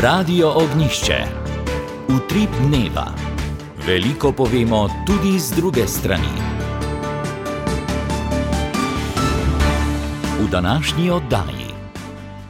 Radio Ognjišče. Utrip dneva. Veliko povemo tudi z druge strani. V današnji oddaji.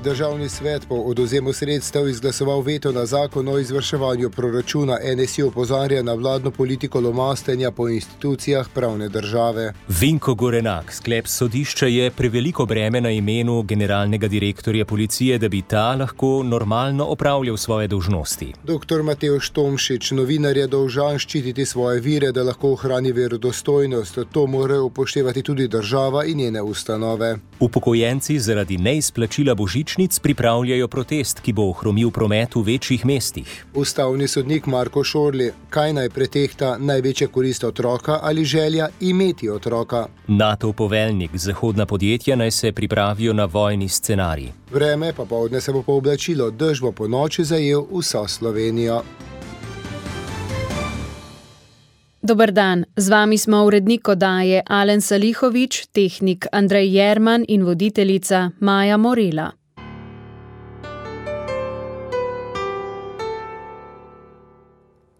Državni svet po odvzemu sredstev izglasoval veto na zakon o izvrševanju proračuna. NSI opozarja na vladno politiko lomastenja po institucijah pravne države. Vinko Gorenak, sklep sodišča je preveliko breme na imenu generalnega direktorja policije, da bi ta lahko normalno opravljal svoje dolžnosti. Dr. Matevž Tomšič, novinar je dolžan ščititi svoje vire, da lahko ohrani verodostojnost. To mora upoštevati tudi država in njene ustanove. Upokojenci zaradi neizplačila božičnic pripravljajo protest, ki bo ohromil promet v večjih mestih. Ustavni sodnik Marko Šorli, kaj naj pretehta, največja korist otroka ali želja imeti otroka? NATO poveljnik, zahodna podjetja naj se pripravijo na vojni scenarij. Vreme pa poldne se bo pooblačilo, dež bo po noči zajel vso Slovenijo. Dober dan, z vami smo urednik oddaje Alen Salihovič, tehnik Andrej Jerman in voditeljica Maja Morela.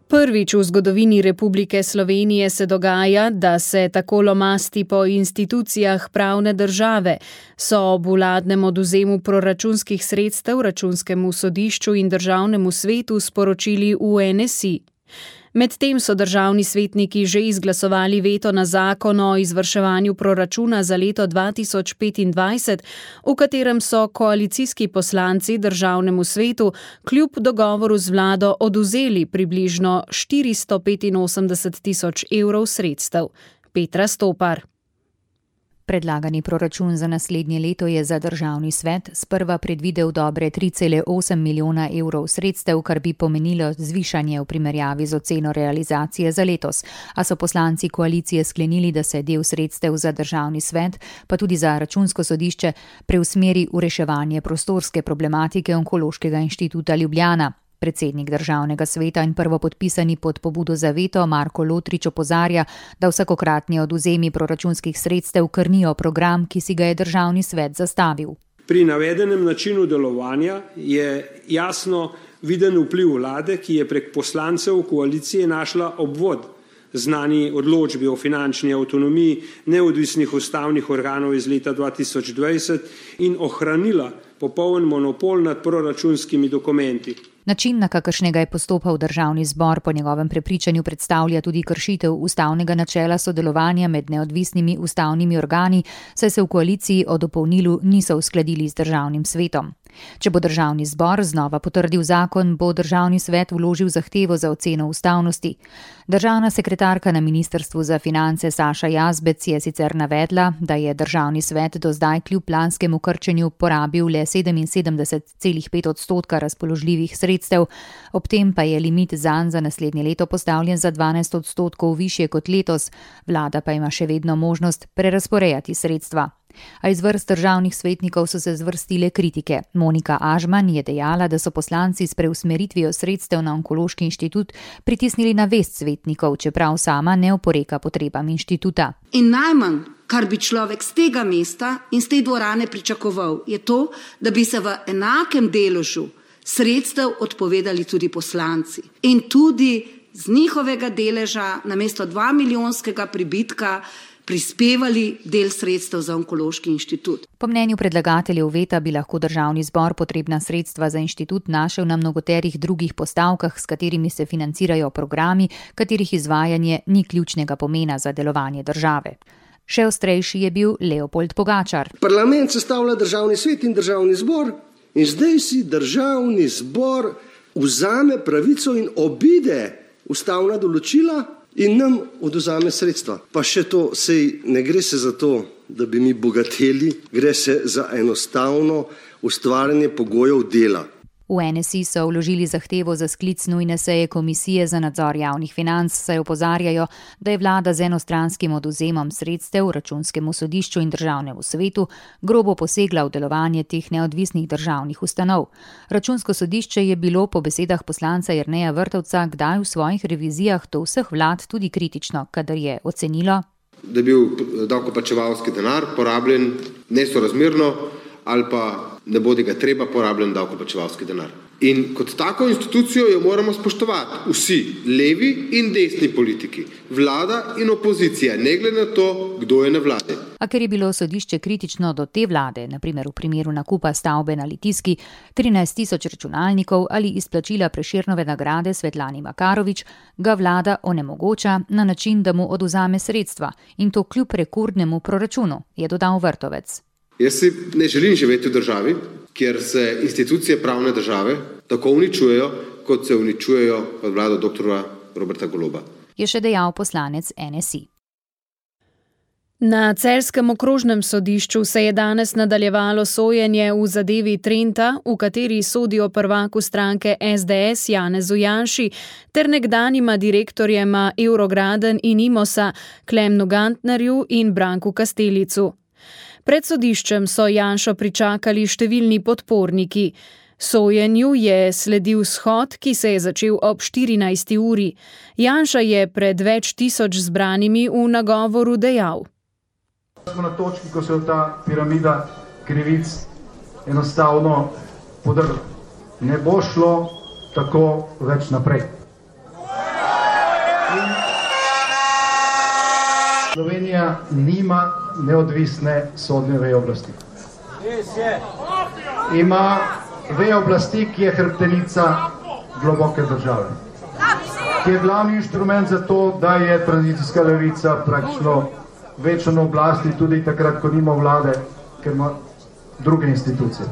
Prvič v zgodovini Republike Slovenije se dogaja, da se tako lomasti po institucijah pravne države, so ob vladnem odvzemu proračunskih sredstev Računskemu sodišču in Državnemu svetu sporočili v NSI. Medtem so državni svetniki že izglasovali veto na zakon o izvrševanju proračuna za leto 2025, v katerem so koalicijski poslanci Državnemu svetu kljub dogovoru z vlado odvzeli približno 485 tisoč evrov sredstev. Petra Stopar. Predlagani proračun za naslednje leto je za državni svet sprva predvidel dobre 3,8 milijona evrov sredstev, kar bi pomenilo zvišanje v primerjavi z oceno realizacije za letos. A so poslanci koalicije sklenili, da se del sredstev za državni svet, pa tudi za Računsko sodišče, preusmeri v reševanje prostorske problematike Onkološkega inštituta Ljubljana. Predsednik državnega sveta in prvopodpisani pod pobudo za veto Marko Lotrič opozarja, da vsakokratni odvzemi proračunskih sredstev krnijo program, ki si ga je državni svet zastavil. Pri navedenem načinu delovanja je jasno viden vpliv vlade, ki je prek poslancev koalicije našla obvod znani odločbi o finančni avtonomiji neodvisnih ustavnih organov iz leta 2020 in ohranila popoln monopol nad proračunskimi dokumenti. Način, na kakršnega je postopal državni zbor, po njegovem prepričanju predstavlja tudi kršitev ustavnega načela sodelovanja med neodvisnimi ustavnimi organi, saj se v koaliciji o dopolnilu niso uskladili z državnim svetom. Če bo državni zbor znova potrdil zakon, bo državni svet vložil zahtevo za oceno ustavnosti. Državna sekretarka na Ministrstvu za finance Saša Jazbec je sicer navedla, da je državni svet do zdaj kljub lanskemu krčenju porabil le 77,5% razpoložljivih sredstev, ob tem pa je limit zanj za naslednje leto postavljen za 12% višje kot letos, vlada pa ima še vedno možnost prerazporejati sredstva. A iz vrst državnih svetnikov so se zvrstile kritike. Monika Ažman je dejala, da so poslanci s preusmeritvijo sredstev na Onkološki inštitut pritisnili na vest svetnikov, čeprav sama ne oporeka potrebam inštituta. In najmanj, kar bi človek z tega mesta in z te dvorane pričakoval, je to, da bi se v enakem deležu sredstev odpovedali tudi poslanci. In tudi z njihovega deleža namesto 2 milijonskega pribitka prispevali del sredstev za Onkološki inštitut. Po mnenju predlagateljev veta bi lahko državni zbor potrebna sredstva za inštitut našel na mnogoterih drugih postavkah, s katerimi se financirajo programi, katerih izvajanje ni ključnega pomena za delovanje države. Še ostrejši je bil Leopold Pogačar. Parlament sestavlja državni svet in državni zbor in zdaj si državni zbor vzame pravico in obide ustavna določila in nam odvzame sredstva. Pa še to, sej ne gre se za to, da bi mi bogateli, gre se za enostavno ustvarjanje pogojev dela. V NSI so vložili zahtevo za sklic nujne seje Komisije za nadzor javnih financ, saj opozarjajo, da je vlada z enostranskim odvzemom sredstev Računskemu sodišču in Državnemu svetu grobo posegla v delovanje teh neodvisnih državnih ustanov. Računsko sodišče je bilo po besedah poslanca Jerneja Vrtovca kdaj v svojih revizijah do vseh vlad tudi kritično, kadar je ocenilo, da je bil davkoplačevalski denar porabljen nesorazmerno ali pa ne bodi ga treba porabljen davkoplačevalski denar. In kot tako institucijo jo moramo spoštovati vsi, levi in desni politiki, vlada in opozicija, ne glede na to, kdo je na vladi. A ker je bilo sodišče kritično do te vlade, naprimer v primeru nakupa stavbe na Litijski, 13.000 računalnikov ali izplačila Prešernove nagrade Svetlani Makarovič, ga vlada onemogoča na način, da mu odvzame sredstva in to kljub rekordnemu proračunu, je dodal Vrtovec. Jaz si ne želim živeti v državi, kjer se institucije pravne države tako uničujejo, kot se uničujejo pod vlado dr. Roberta Goloba. Je še dejal poslanec NSI. Na celjskem okrožnem sodišču se je danes nadaljevalo sojenje v zadevi Trenta, v kateri sodijo prvaku stranke SDS Janezu Janši ter nekdanjima direktorjema Eurograden in Imosa Klemnu Gantnerju in Branku Kastelicu. Pred sodiščem so Janšo pričakali številni podporniki. Sojenju je sledil shod, ki se je začel ob 14. uri. Janša je pred več tisoč zbranimi v nagovoru dejal. Smo na točki, ko se je ta piramida krivic enostavno podrla. Ne bo šlo tako več naprej. Slovenija nima neodvisne sodne veje oblasti. Ima veje oblasti, ki je hrbtenica globoke države. Ki je glavni inštrument za to, da je tranzicijska levica praktično večjo na oblasti tudi takrat, ko nima vlade, ker ima druge institucije.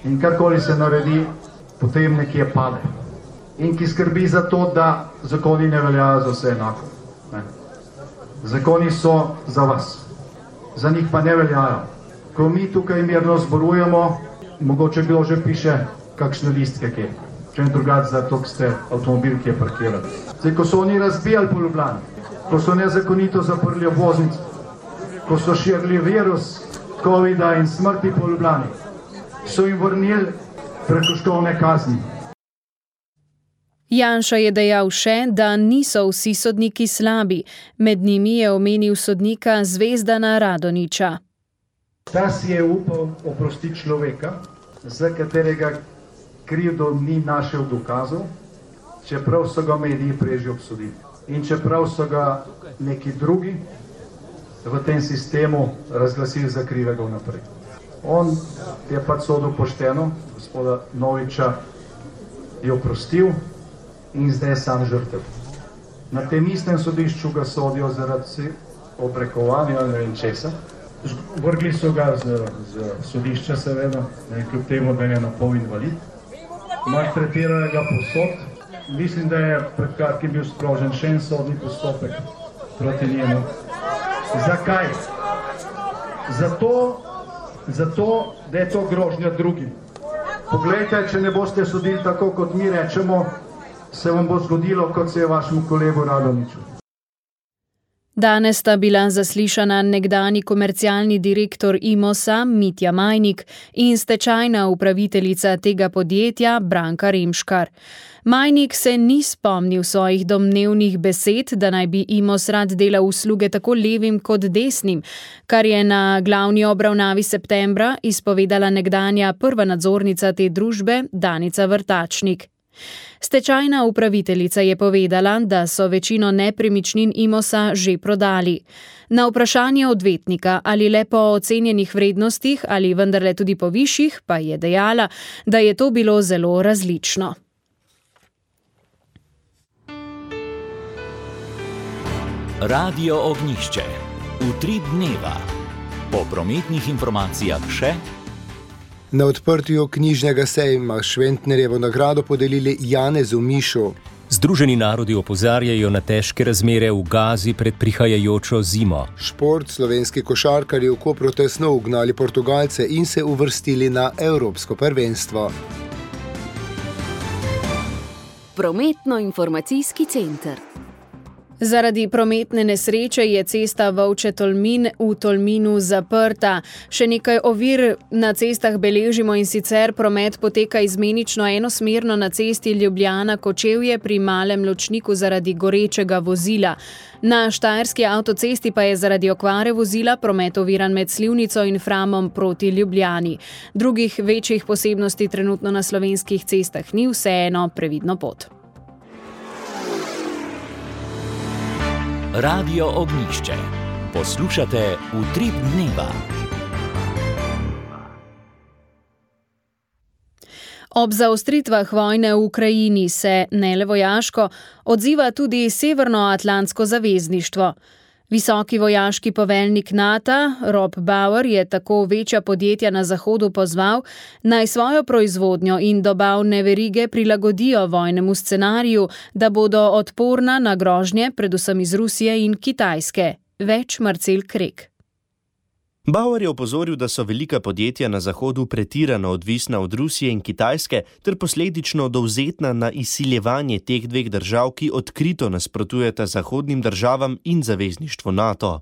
In karkoli se naredi, potem nekje pade. In ki skrbi za to, da zakoni ne veljajo za vse enako. Zakoni so za vas, za njih pa ne veljajo. Ko mi tukaj mirno zborujemo, mogoče bilo že piše kakšne listke, kje. Če ne drugače za to, ste avtomobil, ki je parkirali. Zdaj, ko so oni razbijali po Ljubljani, ko so nezakonito zaprli obvoznice, ko so širili virus COVID-a in smrti po Ljubljani, so jim vrnili prekrškovne kazni. Janša je dejal še, da niso vsi sodniki slabi. Med njimi je omenil sodnika Zvezdana Radoniča. Ta si je upal oprostiti človeka, za katerega krivdo ni našel dokazov, čeprav so ga mediji prej že obsodili. In čeprav so ga neki drugi v tem sistemu razglasili za krivega vnaprej. On je pač sodil pošteno, gospoda Noviča je oprostil in zdaj je sam žrtev. Na tem istem sodišču ga sodijo zaradi obrekovanja ali ne vem česa. Vrgli so ga z sodišča seveda, kljub temu, da je na pol invalid. Maltretirali ga povsod. Mislim, da je pred kratkim bil sprožen še en sodni postopek proti njemu. Zakaj? Zato, da je to grožnja drugim. Poglejte, če ne boste sodili tako, kot mi rečemo, se vam bo zgodilo, kot se je vašemu kolegu Radoniču. Danes sta bila zaslišana nekdanji komercialni direktor Imosa Mitja Majnik in stečajna upraviteljica tega podjetja Branka Remškar. Majnik se ni spomnil svojih domnevnih besed, da naj bi Imos rad delal usluge tako levim kot desnim, kar je na glavni obravnavi septembra izpovedala nekdanja prva nadzornica te družbe Danica Vrtačnik. Stečajna upraviteljica je povedala, da so večino nepremičnin Imosa že prodali. Na vprašanje odvetnika, ali le po ocenjenih vrednostih ali vendarle tudi po višjih, pa je dejala, da je to bilo zelo različno. Radio Ognjišče. Utrip dneva. Po prometnih informacijah še. Na odprtju knjižnega sejma Šventnerjevo nagrado podelili Janezu Mišu. Združeni narodi opozarjajo na težke razmere v Gazi pred prihajajočo zimo. Šport, slovenski košarkarji v Kopru tesno ugnali Portugalce in se uvrstili na Evropsko prvenstvo. Prometno-informacijski center. Zaradi prometne nesreče je cesta Volče-Tolmin v Tolminu zaprta. Še nekaj ovir na cestah beležimo, in sicer promet poteka izmenično enosmerno na cesti Ljubljana-Kočevje pri Malem Ločniku zaradi gorečega vozila. Na štajerski avtocesti pa je zaradi okvare vozila promet oviran med Slivnico in Framom proti Ljubljani. Drugih večjih posebnosti trenutno na slovenskih cestah ni, vseeno previdno pot. Radio Ognjišče. Poslušate Utrip dneva. Ob zaostritvah vojne v Ukrajini se, ne le vojaško, odziva tudi Severnoatlantsko zavezništvo. Visoki vojaški poveljnik NATO, Rob Bauer, je tako večja podjetja na Zahodu pozval, naj svojo proizvodnjo in dobavne verige prilagodijo vojnemu scenariju, da bodo odporna na grožnje, predvsem iz Rusije in Kitajske. Več Marcel Krek. Bauer je opozoril, da so velika podjetja na Zahodu pretirano odvisna od Rusije in Kitajske ter posledično dovzetna na izsiljevanje teh dveh držav, ki odkrito nasprotujeta zahodnim državam in zavezništvu NATO.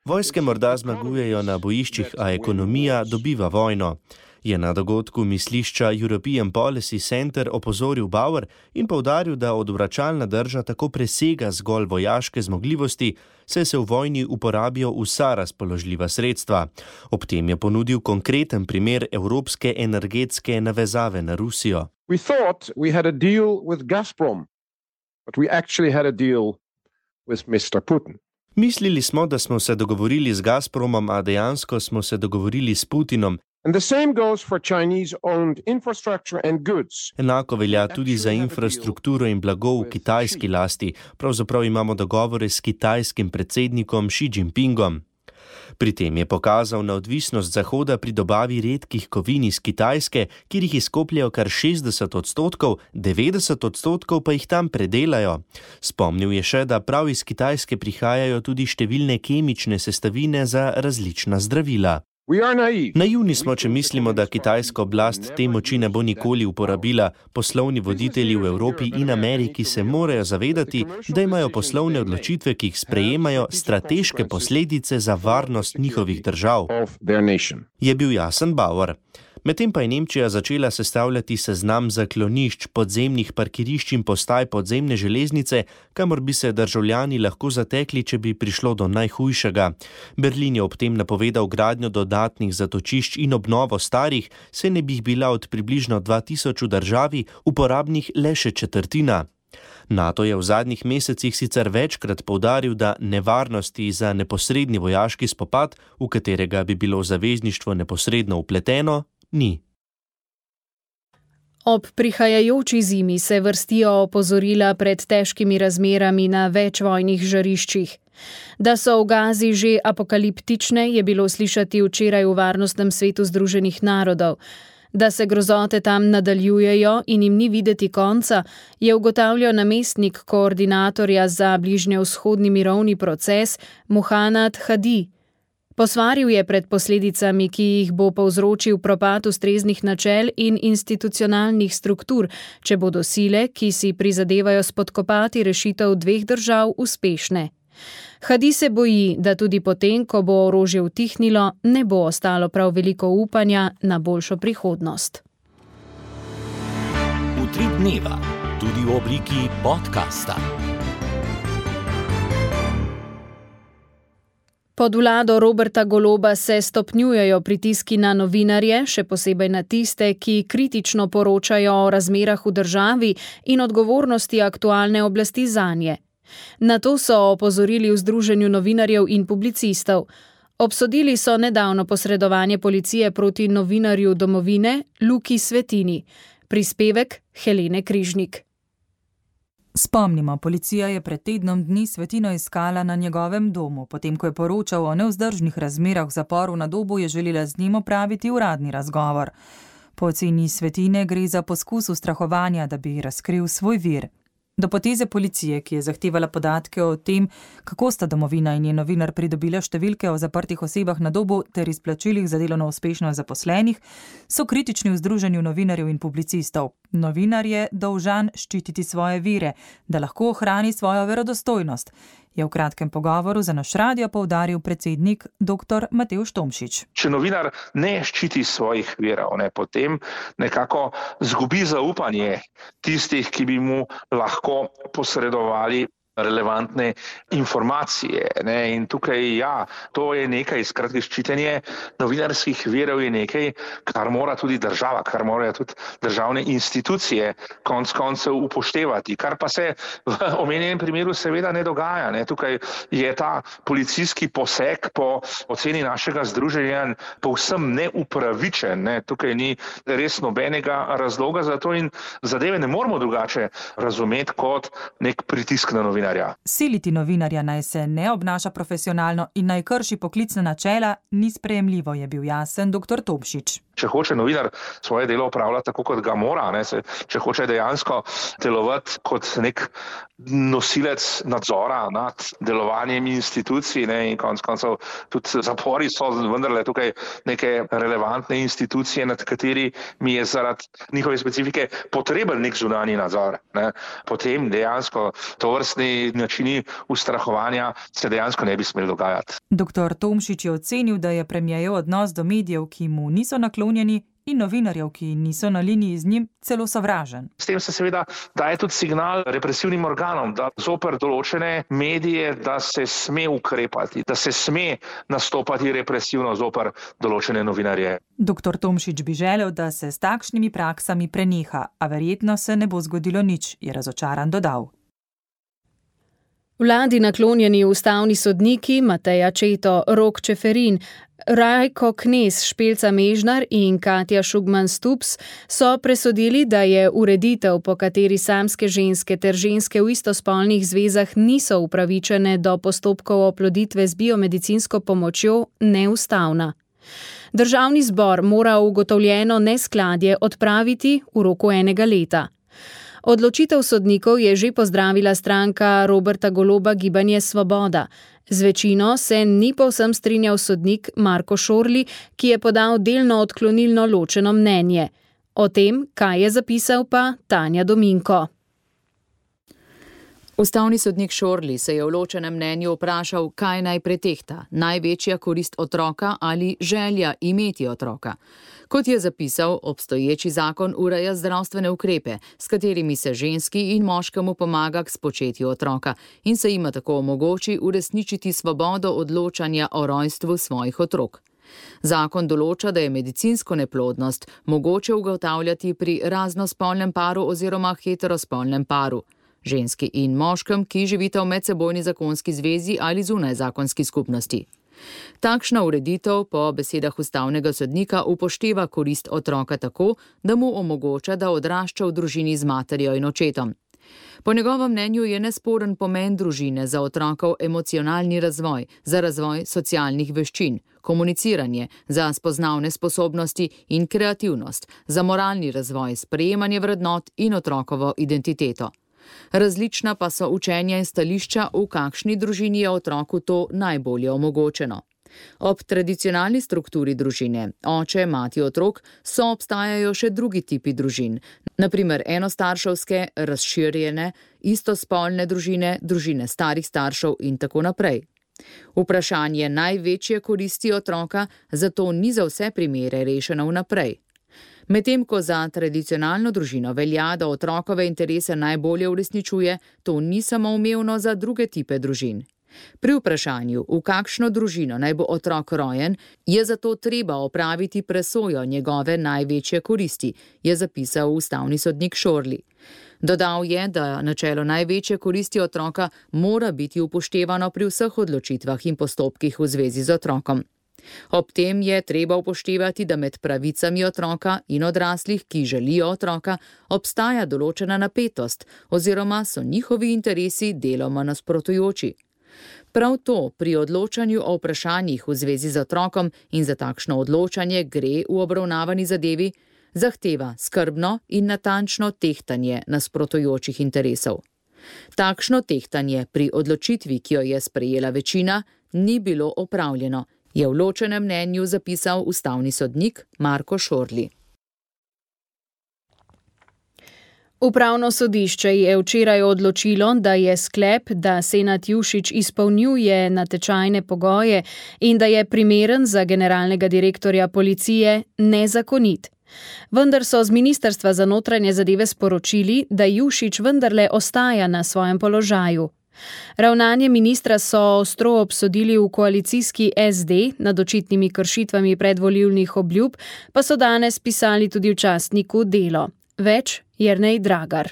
Vojske morda zmagujejo na bojiščih, a ekonomija dobiva vojno. Je na dogodku mislišča European Policy Center opozoril Bauer in poudaril, da odvračalna drža tako presega zgolj vojaške zmogljivosti, saj se v vojni uporabijo vsa razpoložljiva sredstva. Ob tem je ponudil konkreten primer evropske energetske navezave na Rusijo. We thought we had a deal with Gazprom, but we actually had a deal with Mr. Putin. Mislili smo, da smo se dogovorili z Gazpromom, a dejansko smo se dogovorili s Putinom. And the same goes for Chinese-owned infrastructure and goods. Enako velja tudi za infrastrukturo in blago v kitajski lasti. Pravzaprav imamo dogovore s kitajskim predsednikom Xi Jinpingom. Pri tem je pokazal na odvisnost Zahoda pri dobavi redkih kovin iz Kitajske, kjer jih izkopljajo kar 60%, 90% pa jih tam predelajo. Spomnil je še, da prav iz Kitajske prihajajo tudi številne kemične sestavine za različna zdravila. Naivni smo, če mislimo, da kitajska oblast te moči ne bo nikoli uporabila. Poslovni voditelji v Evropi in Ameriki se morajo zavedati, da imajo poslovne odločitve, ki jih sprejemajo, strateške posledice za varnost njihovih držav. Je bil jasen Bauer. Medtem pa je Nemčija začela sestavljati seznam zaklonišč, podzemnih parkirišč in postaj podzemne železnice, kamor bi se državljani lahko zatekli, če bi prišlo do najhujšega. Berlin je ob tem napovedal gradnjo dodatnih zatočišč in obnovo starih, saj ne bi jih bila od približno 2000 v državi uporabnih le še četrtina. NATO je v zadnjih mesecih sicer večkrat poudaril, da nevarnosti za neposredni vojaški spopad, v katerega bi bilo zavezništvo neposredno vpleteno, ni. Ob prihajajoči zimi se vrstijo opozorila pred težkimi razmerami na več vojnih žariščih. Da so v Gazi že apokaliptične, je bilo slišati včeraj v Varnostnem svetu Združenih narodov. Da se grozote tam nadaljujejo in jim ni videti konca, je ugotavljal namestnik koordinatorja za bližnjevzhodni mirovni proces Muhanad Hadi. Posvaril je pred posledicami, ki jih bo povzročil propad ustreznih načel in institucionalnih struktur, če bodo sile, ki si prizadevajo spodkopati rešitev dveh držav, uspešne. Hadi se boji, da tudi potem, ko bo orožje utihnilo, ne bo ostalo prav veliko upanja na boljšo prihodnost. Utrip dneva, tudi v obliki podcasta. Pod vlado Roberta Goloba se stopnjujejo pritiski na novinarje, še posebej na tiste, ki kritično poročajo o razmerah v državi in odgovornosti aktualne oblasti zanje. Na to so opozorili v Združenju novinarjev in publicistov. Obsodili so nedavno posredovanje policije proti novinarju Domovine Luki Svetini. Prispevek Helene Križnik. Spomnimo, policija je pred tednom dni Svetino iskala na njegovem domu. Potem, ko je poročal o nevzdržnih razmerah v zaporu na Dobu, je želela z njim opraviti uradni razgovor. Po oceni Svetine gre za poskus ustrahovanja, da bi razkril svoj vir. Do poteze policije, ki je zahtevala podatke o tem, kako sta Domovina in njen novinar pridobila številke o zaprtih osebah na Dobu ter izplačilih za delovno uspešnost zaposlenih, so kritični v Združenju novinarjev in publicistov. Novinar je dolžan ščititi svoje vire, da lahko ohrani svojo verodostojnost, je v kratkem pogovoru za naš radio poudaril predsednik dr. Matevž Tomšič. Če novinar ne ščiti svojih virov, potem nekako zgubi zaupanje tistih, ki bi mu lahko posredovali relevantne informacije. In tukaj, to je nekaj, skratka, ščitenje novinarskih virov je nekaj, kar mora tudi država, kar morajo tudi državne institucije konec koncev upoštevati, kar pa se v omenjenem primeru seveda ne dogaja. Tukaj je ta policijski poseg po oceni našega združenja povsem neupravičen. Tukaj ni res nobenega razloga za to in zadeve ne moramo drugače razumeti kot nek pritisk na novinarja. Siliti novinarja naj se ne obnaša profesionalno in naj krši poklicna načela ni sprejemljivo, je bil jasen dr. Tomšič. Če hoče novinar svoje delo opravljati tako, kot ga mora, če hoče dejansko delovati kot nek nosilec nadzora nad delovanjem institucij in konec koncev tudi zapori so vendarle tukaj neke relevantne institucije, nad katerimi je zaradi njihove specifike potreben nek zunanji nadzor. Potem dejansko tovrstni načini ustrahovanja se dejansko ne bi smeli dogajati. Dr. Tomšič je ocenil, da je premierjev odnos do medijev, ki mu niso naklonjeni, in novinarjev, ki niso na liniji z njim, celo sovražen. S tem se seveda daje tudi signal represivnim organom, da zoper določene medije, da se sme ukrepati, da se sme nastopati represivno zoper določene novinarje. Dr. Tomšič bi želel, da se s takšnimi praksami preneha, a verjetno se ne bo zgodilo nič, je razočaran dodal. Vladi naklonjeni ustavni sodniki Mateja Četo, Rok Čeferin, Rajko Knez, Špelca Mežnar in Katja Šugman Stups so presodili, da je ureditev, po kateri samske ženske ter ženske v istospolnih zvezah niso upravičene do postopkov oploditve z biomedicinsko pomočjo, neustavna. Državni zbor mora ugotovljeno neskladje odpraviti v roku 1 leta. Odločitev sodnikov je že pozdravila stranka Roberta Goloba Gibanje Svoboda. Z večino se ni povsem strinjal sodnik Marko Šorli, ki je podal delno odklonilno ločeno mnenje. O tem, kaj je zapisal, pa Tanja Dominko. Ustavni sodnik Šorli se je v ločenem mnenju vprašal, kaj naj pretehta, največja korist otroka ali želja imeti otroka. Kot je zapisal, obstoječi zakon ureja zdravstvene ukrepe, s katerimi se ženski in moškemu pomaga k spočetju otroka in se jima tako omogoči uresničiti svobodo odločanja o rojstvu svojih otrok. Zakon določa, da je medicinsko neplodnost mogoče ugotavljati pri raznospolnem paru oziroma heterospolnem paru, ženski in moškem, ki živita v medsebojni zakonski zvezi ali zunaj zakonski skupnosti. Takšna ureditev po besedah ustavnega sodnika upošteva korist otroka tako, da mu omogoča, da odrašča v družini z materjo in očetom. Po njegovem mnenju je nesporen pomen družine za otrokov emocionalni razvoj, za razvoj socialnih veščin, komuniciranje, za spoznavne sposobnosti in kreativnost, za moralni razvoj, sprejemanje vrednot in otrokovo identiteto. Različna pa so učenja in stališča, v kakšni družini je otroku to najbolje omogočeno. Ob tradicionalni strukturi družine, oče, mati, otrok, so obstajajo še drugi tipi družin, naprimer enostarševske, razširjene, istospolne družine, družine starih staršev in tako naprej. Vprašanje največje koristi otroka zato ni za vse primere rešeno vnaprej. Medtem ko za tradicionalno družino velja, da otrokove interese najbolje uresničuje, to ni samoumevno za druge tipe družin. Pri vprašanju, v kakšno družino naj bo otrok rojen, je zato treba opraviti presojo njegove največje koristi, je zapisal ustavni sodnik Šorli. Dodal je, da načelo največje koristi otroka mora biti upoštevano pri vseh odločitvah in postopkih v zvezi z otrokom. Ob tem je treba upoštevati, da med pravicami otroka in odraslih, ki želijo otroka, obstaja določena napetost oziroma so njihovi interesi deloma nasprotujoči. Prav to pri odločanju o vprašanjih v zvezi z otrokom in za takšno odločanje gre v obravnavani zadevi, zahteva skrbno in natančno tehtanje nasprotujočih interesov. Takšno tehtanje pri odločitvi, ki jo je sprejela večina, ni bilo opravljeno, je v ločenem mnenju zapisal ustavni sodnik Marko Šorli. Upravno sodišče je včeraj odločilo, da je sklep, da Senad Jušić izpolnjuje natečajne pogoje in da je primeren za generalnega direktorja policije, nezakonit. Vendar so z Ministrstva za notranje zadeve sporočili, da Jušić vendarle ostaja na svojem položaju. Ravnanje ministra so ostro obsodili v koalicijski SD, nad očitnimi kršitvami predvolilnih obljub pa so danes pisali tudi v časniku Delo. Več Jernej Dragar.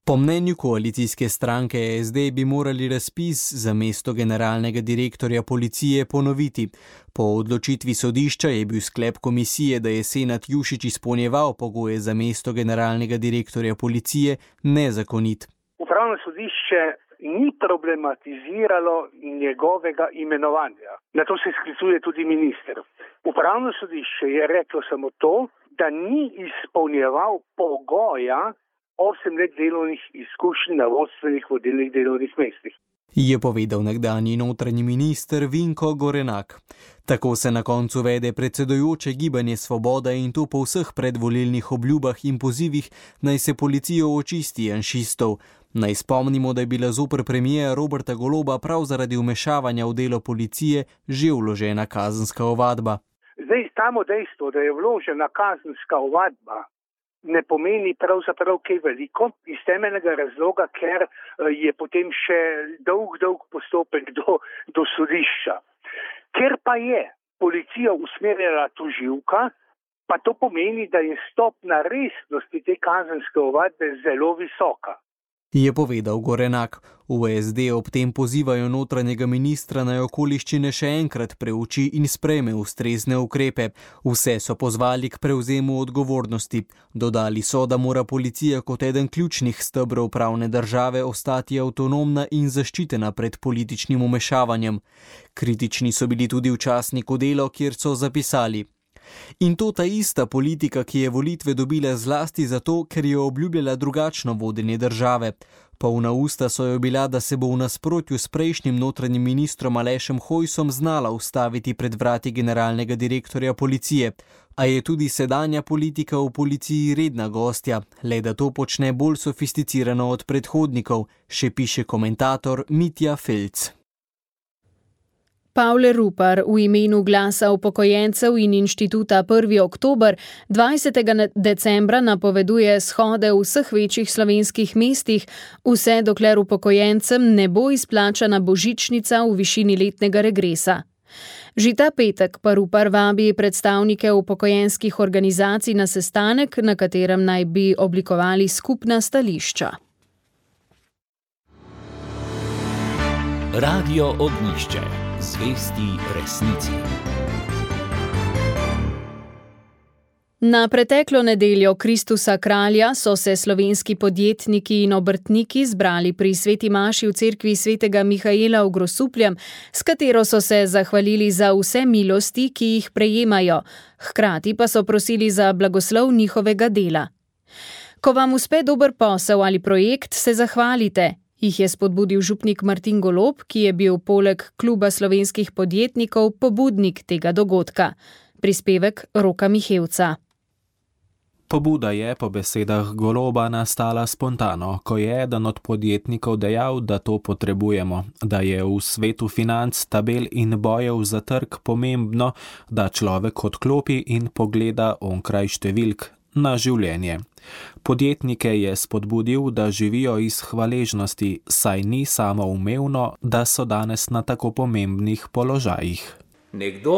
Po mnenju koalicijske stranke SD bi morali razpis za mesto generalnega direktorja policije ponoviti. Po odločitvi sodišča je bil sklep komisije, da je Senad Jušić izpolnjeval pogoje za mesto generalnega direktorja policije, nezakonit. Upravno sodišče ni problematiziralo njegovega imenovanja. Na to se sklicuje tudi minister. Upravno sodišče je reklo samo to, da ni izpolnjeval pogoja 8 let delovnih izkušenj na vodstvenih vodilnih delovnih mestih. Je povedal nekdanji notranji minister Vinko Gorenak. Tako se na koncu vede predsedujoče Gibanje Svoboda in to po vseh predvolilnih obljubah in pozivih, naj se policijo očisti janšistov. Naj spomnimo, da je bila zoper premijera Roberta Goloba prav zaradi vmešavanja v delo policije že vložena kazenska ovadba. Zdaj, samo dejstvo, da je vložena kazenska ovadba, ne pomeni pravzaprav kaj veliko iz temeljnega razloga, ker je potem še dolg postopek do sodišča. Ker pa je policija usmerjala tožilka, pa to pomeni, da je stopnja resnosti te kazenske ovadbe zelo visoka. Je povedal Gorenak. V SD ob tem pozivajo notranjega ministra naj okoliščine še enkrat preuči in sprejme ustrezne ukrepe. Vse so pozvali k prevzemu odgovornosti. Dodali so, da mora policija kot eden ključnih stebrov pravne države ostati avtonomna in zaščitena pred političnim vmešavanjem. Kritični so bili tudi v časniku Delo, kjer so zapisali: In to ta ista politika, ki je volitve dobila zlasti zato, ker je obljubljala drugačno vodenje države. Polna usta so jo bila, da se bo v nasprotju s prejšnjim notranjim ministrom Alešem Hojsom znala ustaviti pred vrati generalnega direktorja policije. A je tudi sedanja politika v policiji redna gostja, le da to počne bolj sofisticirano od predhodnikov, še piše komentator Mitja Felc. Pavle Rupar v imenu Glasa upokojencev in inštituta 1. oktober 20. decembra napoveduje shode v vseh večjih slovenskih mestih, vse dokler upokojencem ne bo izplačana božičnica v višini letnega regresa. Že ta petek pa Rupar vabi predstavnike upokojenskih organizacij na sestanek, na katerem naj bi oblikovali skupna stališča. Radio Ognjišče. Zvesti resnici. Na preteklo nedeljo Kristusa kralja so se slovenski podjetniki in obrtniki zbrali pri sveti maši v cerkvi svetega Mihaela v Grosupljem, s katero so se zahvalili za vse milosti, ki jih prejemajo, hkrati pa so prosili za blagoslov njihovega dela. Ko vam uspe dober posel ali projekt, se zahvalite, jih je spodbudil župnik Martin Golob, ki je bil poleg Kluba slovenskih podjetnikov pobudnik tega dogodka. Prispevek Roka Mihevca. Pobuda je po besedah Goloba nastala spontano, ko je eden od podjetnikov dejal, da to potrebujemo, da je v svetu financ, tabel in bojev za trg pomembno, da človek odklopi in pogleda onkraj številk na življenje. Podjetnike je spodbudil, da živijo iz hvaležnosti, saj ni samoumevno, da so danes na tako pomembnih položajih. Nekdo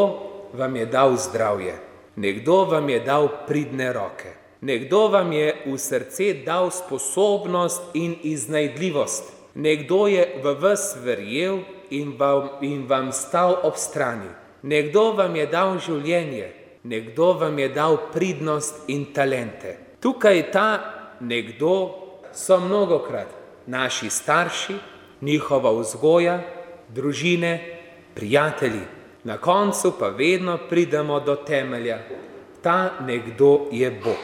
vam je dal zdravje, nekdo vam je dal pridne roke, nekdo vam je v srce dal sposobnost in iznajdljivost, nekdo je v vas verjel in vam stal ob strani, nekdo vam je dal življenje, nekdo vam je dal pridnost in talente. Tukaj ta nekdo so mnogokrat naši starši, njihova vzgoja, družine, prijatelji. Na koncu pa vedno pridemo do temelja. Ta nekdo je Bog.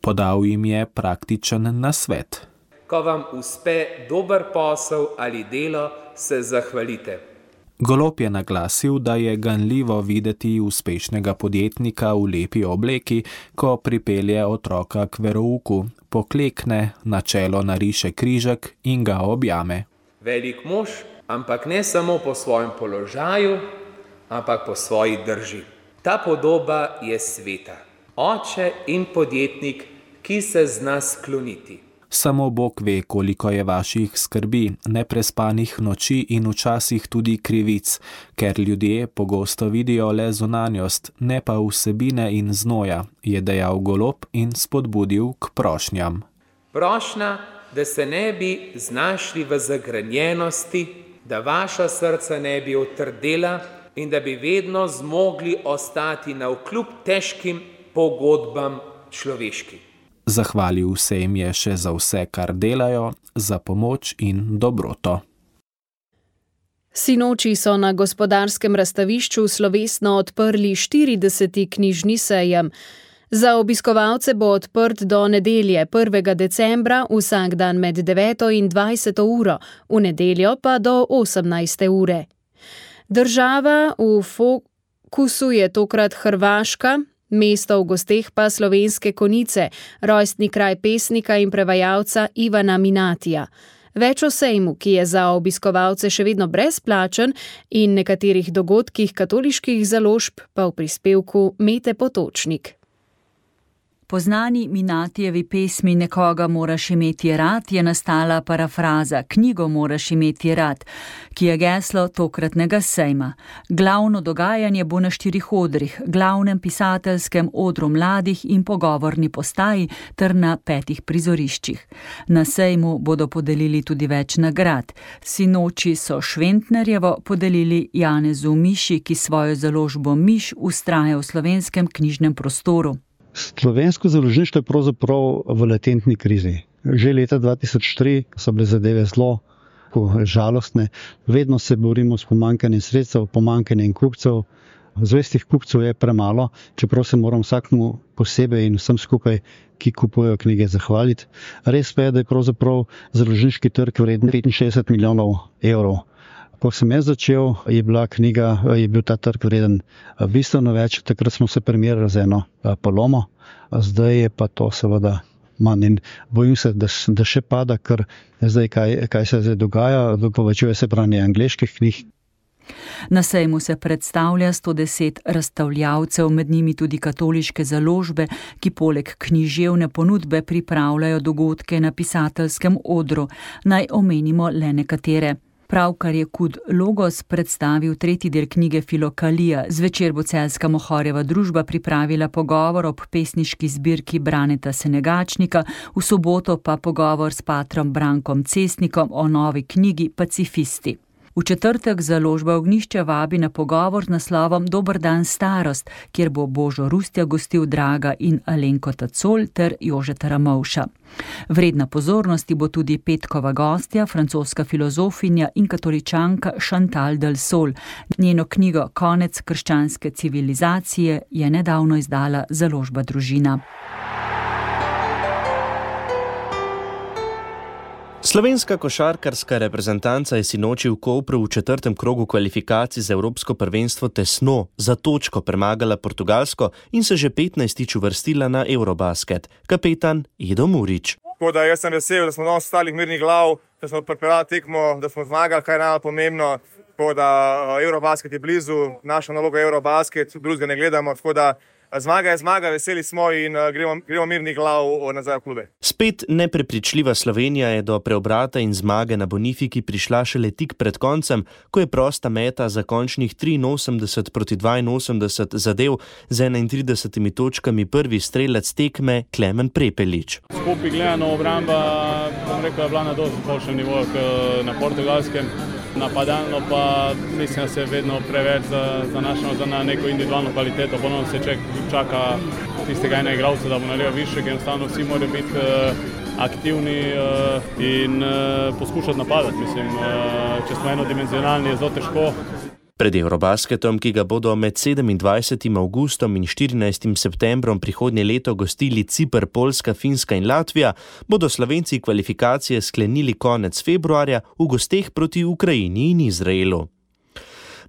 Podal jim je praktičen nasvet. Ko vam uspe dober posel ali delo, se zahvalite. Golob je naglasil, da je ganljivo videti uspešnega podjetnika v lepi obleki, ko pripelje otroka k verouku, poklekne, na čelo nariše križek in ga objame. Velik mož, ampak ne samo po svojem položaju, ampak po svoji drži. Ta podoba je sveta. Oče in podjetnik, ki se zna skloniti. Samo Bog ve, koliko je vaših skrbi, neprespanih noči in včasih tudi krivic, ker ljudje pogosto vidijo le zunanjost, ne pa vsebine in znoja, je dejal Golob in spodbudil k prošnjam. Prošnja, da se ne bi znašli v zagrenjenosti, da vaša srca ne bi otrdela in da bi vedno zmogli ostati navkljub težkim pogodbam človeškim. Zahvalil se jim je še za vse, kar delajo, za pomoč in dobroto. Sinoči so na Gospodarskem razstavišču slovesno odprli 40. knjižni sejem. Za obiskovalce bo odprt do nedelje 1. decembra vsak dan med 9. in 20. uro, v nedeljo pa do 18. ure. Država v fokusu je tokrat Hrvaška, mesto v gosteh pa Slovenske Konjice, rojstni kraj pesnika in prevajalca Ivana Minatija. Več o sejmu, ki je za obiskovalce še vedno brezplačen, in nekaterih dogodkih katoliških založb pa v prispevku Mete Potočnik. Po znani Minatijevi pesmi Nekoga moraš imeti rad je nastala parafraza Knjigo moraš imeti rad, ki je geslo tokratnega sejma. Glavno dogajanje bo na 4 odrih, glavnem pisateljskem odru mladih in pogovorni postaji ter na 5 prizoriščih. Na sejmu bodo podelili tudi več nagrad. Sinoči so Šventnerjevo podelili Janezu Miši, ki svojo založbo Miš vztraja v slovenskem knjižnem prostoru. Slovensko založništvo je pravzaprav v latentni krizi. Že leta 2003 so bile zadeve zelo žalostne. Vedno se borimo s pomanjkanjem sredstev, pomanjkanjem kupcev. Zvestih kupcev je premalo, čeprav se moram vsakmu posebej in vsem skupaj, ki kupujejo knjige, zahvaliti. Res pa je, da je pravzaprav založniški trg vreden 65 milijonov evrov. Ko sem jaz začel, je bil ta trg vreden bistveno več, takrat smo se primerjali z eno Palomo, zdaj je pa to seveda manj in bojim se, da še pada, ker zdaj kaj se zdaj dogaja, povečuje se branje angleških knjig. Na sejmu se predstavlja 110 razstavljavcev, med njimi tudi katoliške založbe, ki poleg književne ponudbe pripravljajo dogodke na pisateljskem odru. Naj omenimo le nekatere. Pravkar je Kud Logos predstavil 3. del knjige Filokalija. Zvečer bo celjska Mohorjeva družba pripravila pogovor ob pesniški zbirki Braneta Senegačnika, v soboto pa pogovor s patrom Brankom Cestnikom o novi knjigi Pacifisti. V četrtek založba Ognjišče vabi na pogovor z naslovom Dober dan starost, kjer bo Božo Rustja gostil Draga in Alenko Tacol ter Jožeta Ramovša. Vredna pozornosti bo tudi petkova gostja, francoska filozofinja in katoličanka Chantal del Sol. Njeno knjigo Konec krščanske civilizacije je nedavno izdala založba Družina. Slovenska košarkarska reprezentanca je sinoči v Kopru v 4. krogu kvalifikacij za Evropsko prvenstvo tesno za točko premagala Portugalsko in se že 15. uvrstila na Eurobasket. Kapetan Edo Murić. Tako da jaz sem vesel, da smo danes ostali mirnih glav, da smo pripeljali tekmo, da smo zmagali, kaj je najpomembno. Tako da Eurobasket je blizu, naša naloga je Eurobasket, drugega ne gledamo, tako da zmaga je zmaga, veseli smo in gremo mirnih glav nazaj v klube. Spet neprepričljiva Slovenija je do preobrata in zmage na Bonifiki prišla šele tik pred koncem, ko je prosta meta za končnih 83 proti 82 zadev z 31 točkami prvi strelec tekme Klemen Prepelič. Skupaj gledano obramba, bom rekel, je bila na dosti boljšem nivoju na Portugalskem. Napadalno pa mislim, da se vedno preveč zanašamo na neko individualno kvaliteto. Ponovno se čaka tistega ena igralca, da bo naredil više, ker enostavno vsi morajo biti aktivni in poskušati napadati. Mislim, če smo enodimenzionalni, je zelo težko. Pred Eurobasketom, ki ga bodo med 27. avgustom in 14. septembrom prihodnje leto gostili Ciper, Poljska, Finska in Latvija, bodo Slovenci kvalifikacije sklenili konec februarja v gosteh proti Ukrajini in Izraelu.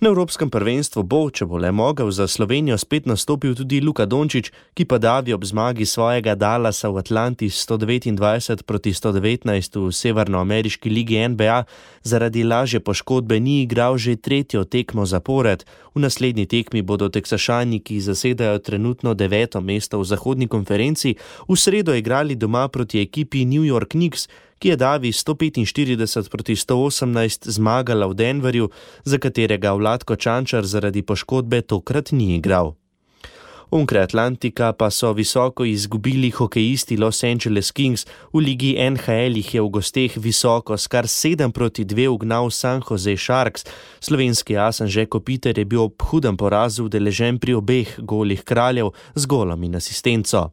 Na Evropskem prvenstvu bo, če bo le mogel, za Slovenijo spet nastopil tudi Luka Dončić, ki pa davi ob zmagi svojega Dallasa v Atlanti 129 proti 119 v severnoameriški ligi NBA zaradi lažje poškodbe ni igral že tretjo tekmo zapored. V naslednji tekmi bodo Teksašani, ki zasedajo trenutno 9. mesto v zahodni konferenci, v sredo igrali doma proti ekipi New York Knicks, ki je davi 145 proti 118 zmagala v Denverju, za katerega Vlatko Čančar zaradi poškodbe tokrat ni igral. Onkraj Atlantika pa so visoko izgubili hokejisti Los Angeles Kings, v ligi NHL jih je v gosteh visoko s kar 7-2 ugnal San Jose Sharks. Slovenski as Anže Kopitar je bil ob hudem porazu udeležen pri obeh golih Kraljev z golom in asistenco.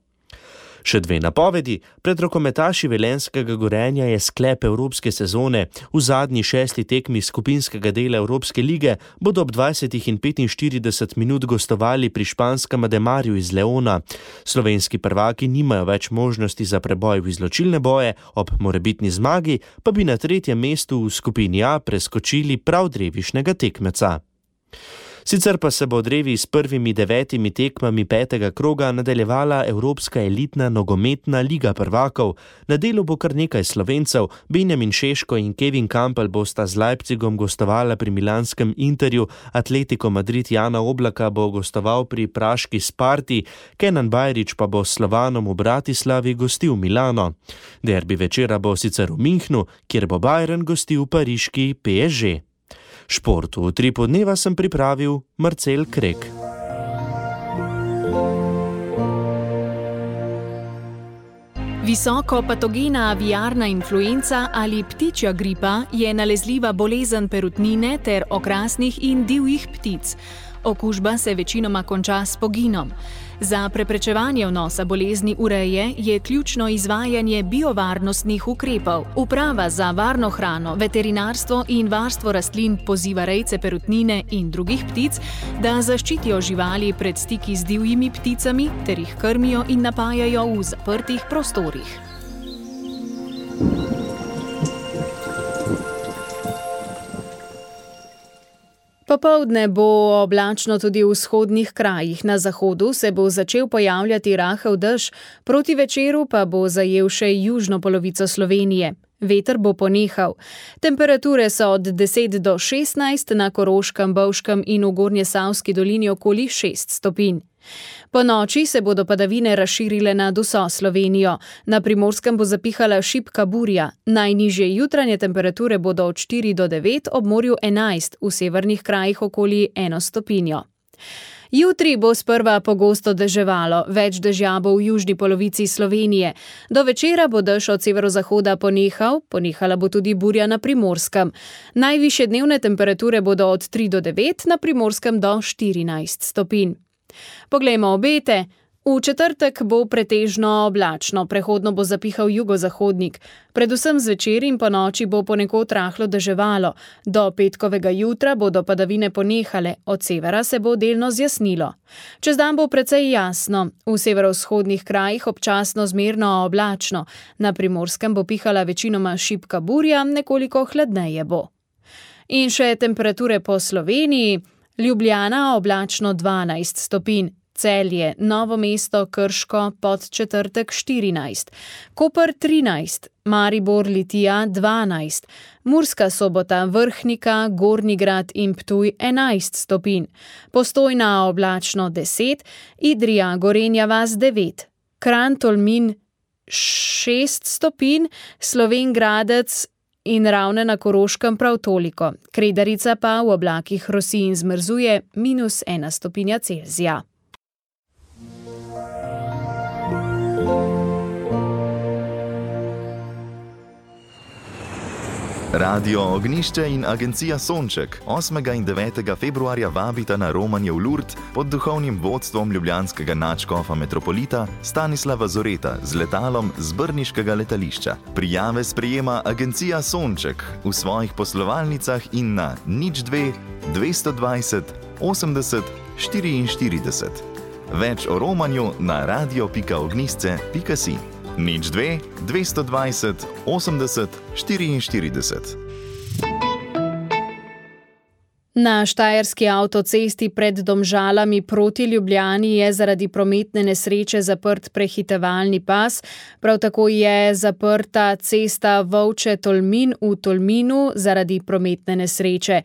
Še dve napovedi. Pred rokometaši Velenjskega Gorenja je sklep evropske sezone. V zadnji 6. tekmi skupinskega dela Evropske lige bodo ob 20:45 minut gostovali pri španskem Ademarju iz Leona. Slovenski prvaki nimajo več možnosti za preboj v izločilne boje, ob morebitni zmagi pa bi na 3. mestu v skupini A preskočili prav drevišnega tekmeca. Sicer pa se bo drevi s prvimi 9 tekmami 5. kroga nadaljevala Evropska elitna nogometna liga prvakov. Na delu bo kar nekaj Slovencev, Benjamin Šeško in Kevin Kampel bosta z Leipzigom gostovala pri milanskem Interju, Atletico Madrid Jana Oblaka bo gostoval pri praški Sparti, Kenan Bajrić pa bo s Slovanom v Bratislavi gostil Milano. Derbi večera bo sicer v Münchnu, kjer bo Bayern gostil pariški PSG. Šport v Utripu dneva sem pripravil Marcel Krek. Visoko patogena aviarna influenca ali ptičja gripa je nalezljiva bolezen perutnine ter okrasnih in divjih ptic. Okužba se večinoma konča s poginom. Za preprečevanje vnosa bolezni v reje je ključno izvajanje biovarnostnih ukrepov. Uprava za varno hrano, veterinarstvo in varstvo rastlin poziva rejce perutnine in drugih ptic, da zaščitijo živali pred stiki z divjimi pticami ter jih krmijo in napajajo v zaprtih prostorih. Popoldne bo oblačno tudi v vzhodnih krajih. Na zahodu se bo začel pojavljati rahel dež, proti večeru pa bo zajel še južno polovico Slovenije. Veter bo ponehal. Temperature so od 10 do 16, na Koroškem, Bovškem in v Gornjesavski dolini okoli 6 stopinj. Po noči se bodo padavine razširile nad vso Slovenijo. Na Primorskem bo zapihala šibka burja. Najnižje jutranje temperature bodo od 4 do 9, ob morju 11, v severnih krajih okoli 1 stopinjo. Jutri bo sprva pogosto deževalo, več dežja bo v južni polovici Slovenije. Do večera bo dež od severozahoda ponehala bo tudi burja na Primorskem. Najvišje dnevne temperature bodo od 3 do 9, na Primorskem do 14 stopinj. Poglejmo obete. V četrtek bo pretežno oblačno, prehodno bo zapihal jugozahodnik. Predvsem zvečer in po noči bo ponekod rahlo deževalo. Do petkovega jutra bodo padavine ponehale, od severa se bo delno zjasnilo. Čez dan bo precej jasno, v severovzhodnih krajih občasno zmerno oblačno. Na Primorskem bo pihala večinoma šibka burja, nekoliko hladneje bo. In še temperature po Sloveniji. Ljubljana oblačno 12 stopinj, Celje, Novo mesto, Krško, Podčetrtek 14, Koper 13, Maribor, Litija 12, Murska Sobota, Vrhnika, Gornji Grad in Ptuj 11 stopinj, Postojna oblačno 10, Idrija, Gorenja vas 9, Kranj, Tolmin 6 stopinj, Slovenj Gradec in Ravne na Koroškem prav toliko. Kredarica pa v oblakih rosi in zmrzuje -1 stopinja Celzija. Radio Ognišče in agencija Sonček 8. in 9. februarja vabita na romanje v Lourdes pod duhovnim vodstvom ljubljanskega nadškofa metropolita Stanislava Zoreta z letalom z brniškega letališča. Prijave sprejema agencija Sonček v svojih poslovalnicah in na 02 220 80 44. Več o romanju na radio.ognisce.si. 02 220 80 44. Na štajerski avtocesti pred Domžalami proti Ljubljani je zaradi prometne nesreče zaprt prehitevalni pas, prav tako je zaprta cesta Volče-Tolmin v Tolminu zaradi prometne nesreče.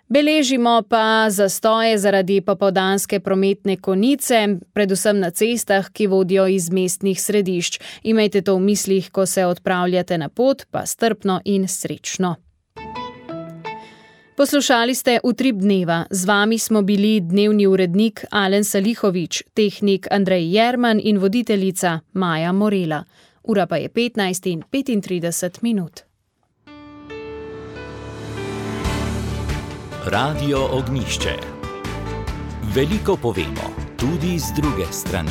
Beležimo pa zastoje zaradi popoldanske prometne konice, predvsem na cestah, ki vodijo iz mestnih središč. Imejte to v mislih, ko se odpravljate na pot, pa strpno in srečno. Poslušali ste Utrip dneva. Z vami smo bili dnevni urednik Alen Salihovič, tehnik Andrej Jerman in voditeljica Maja Morela. Ura pa je 15:35. Radio Ognjišče. Veliko povemo, tudi z druge strani.